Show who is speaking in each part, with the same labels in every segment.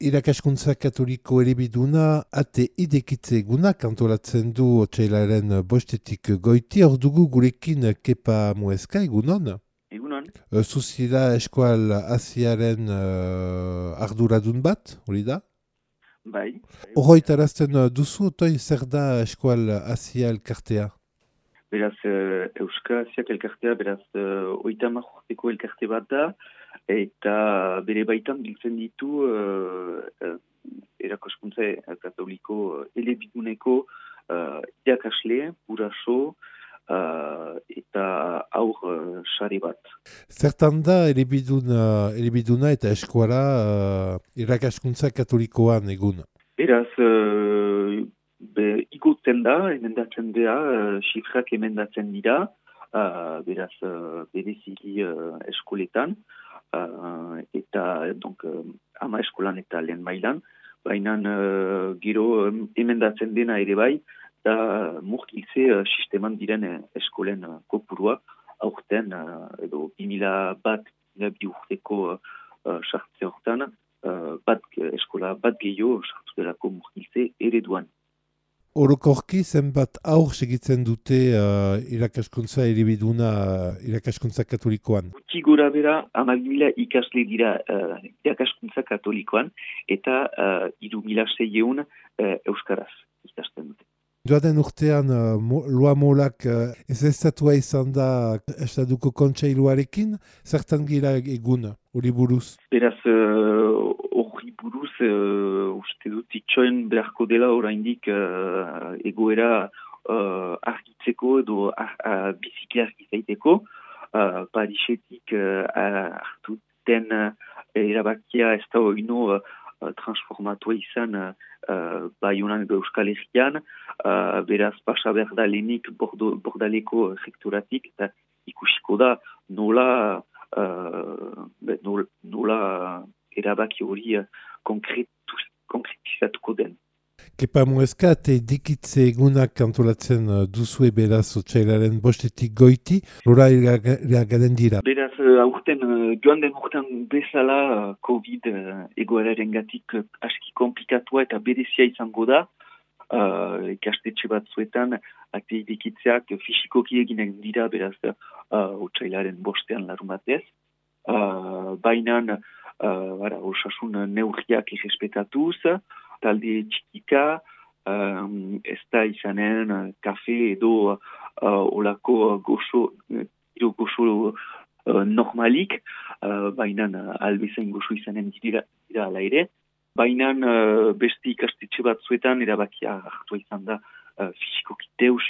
Speaker 1: Irakaskuntza Katoliko elebiduna ate idekitze egunak antolatzen du otsailaren bostetik goiti. Hor dugu gurekin Kepa Mueska, egunon?
Speaker 2: Egunon.
Speaker 1: Zuzira eskual Asiaren arduradun bat, hori da?
Speaker 2: Bai.
Speaker 1: Horroitarazten duzu, otoi zer da eskual Asia elkartea?
Speaker 2: Beraz, Euskal Asiak elkartea, beraz, 30 urteko elkarte bat da, eta bere baitan biltzen ditu erakaskuntza katoliko elebiduneko irakasle, guraso, eta aur sare bat.
Speaker 1: Zertan da elebiduna eta eskuala irakaskuntza katolikoan egun?
Speaker 2: Beraz, igutzen da, emendatzen dira, xifrak emendatzen dira, beraz, bereziki eskoletan, eta donc, ama eskolan eta lehen mailan, baina gero emendatzen dena ere bai, da murkiltze sisteman diren eskolen kopurua, aurten, edo 2001 urteko sartze hortan, eskola bat gehiago sartu delako murkiltze ereduan.
Speaker 1: Orokorki zenbat aur segitzen dute irakaskuntza elebiduna irakaskuntza katolikoan?
Speaker 2: Gutxi gora bera 10.000 ikasle dira irakaskuntza katolikoan eta 3.600 euskaraz ikasten dute.
Speaker 1: Joaden urtean Loa Molak ezeztatua izan da Estatuko Kontseiluarekin, zertan gira egun, hori buruz?
Speaker 2: Beraz, hori buruz, uste dut itxoen beharko dela oraindik egoera argitzeko edo biziki argizaiteko. Parisetik hartu den erabakia ez da oino transformatua izan Baionan edo Euskal Herrian, beraz pasa behar da lehenik bordaleko rekturatik, eta ikusiko da nola erabaki hori konkretizatuko den.
Speaker 1: Kepa Mueska, ate dikitze egunak antolatzen duzue beraz otsailaren bostetik goiti, lora iragaden dira?
Speaker 2: Beraz, aurten, joan den urtean bezala COVID egoerarengatik aski komplikatua eta berezia izango da, ikastetxe batzuetan ate dikitzeak fisikoki eginen dira, beraz, otsailaren bostean larun batez. Baina, osasun neurriak irrespetatuz, talde txikika, ez da izanen kafe edo olako goxo normalik, baina albezain goxo izanen dira ala ere. Baina beste ikastetxe batzuetan erabakia hartua izan da fisikoki deus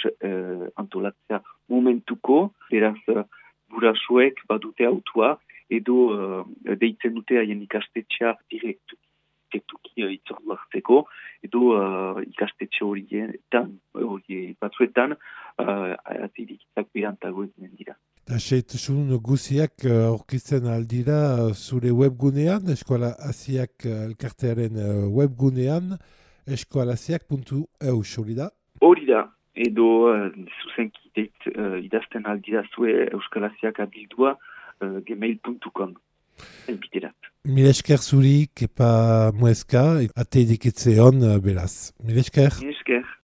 Speaker 2: antolatzea momentuko, beraz gurasoek badute autua edo deitzen dute haien ikastetxea direktuki itzordu hartzeko, edo ikastetxe hori batzuetan atirikitak berantago eginen dira.
Speaker 1: Da xeetasun guziak aurkitzen aldira zure webgunean, Eskola Asiak elkartearen webgunean, eskolasiak.eu, hori da?
Speaker 2: Hori da, edo zuzenki idazten aldira zue Euskal Asiak abildua gmail.com.
Speaker 1: Mil esker zuri, Kepa Mueska, ate dikitze hon beraz. Mil esker.
Speaker 2: Mil esker.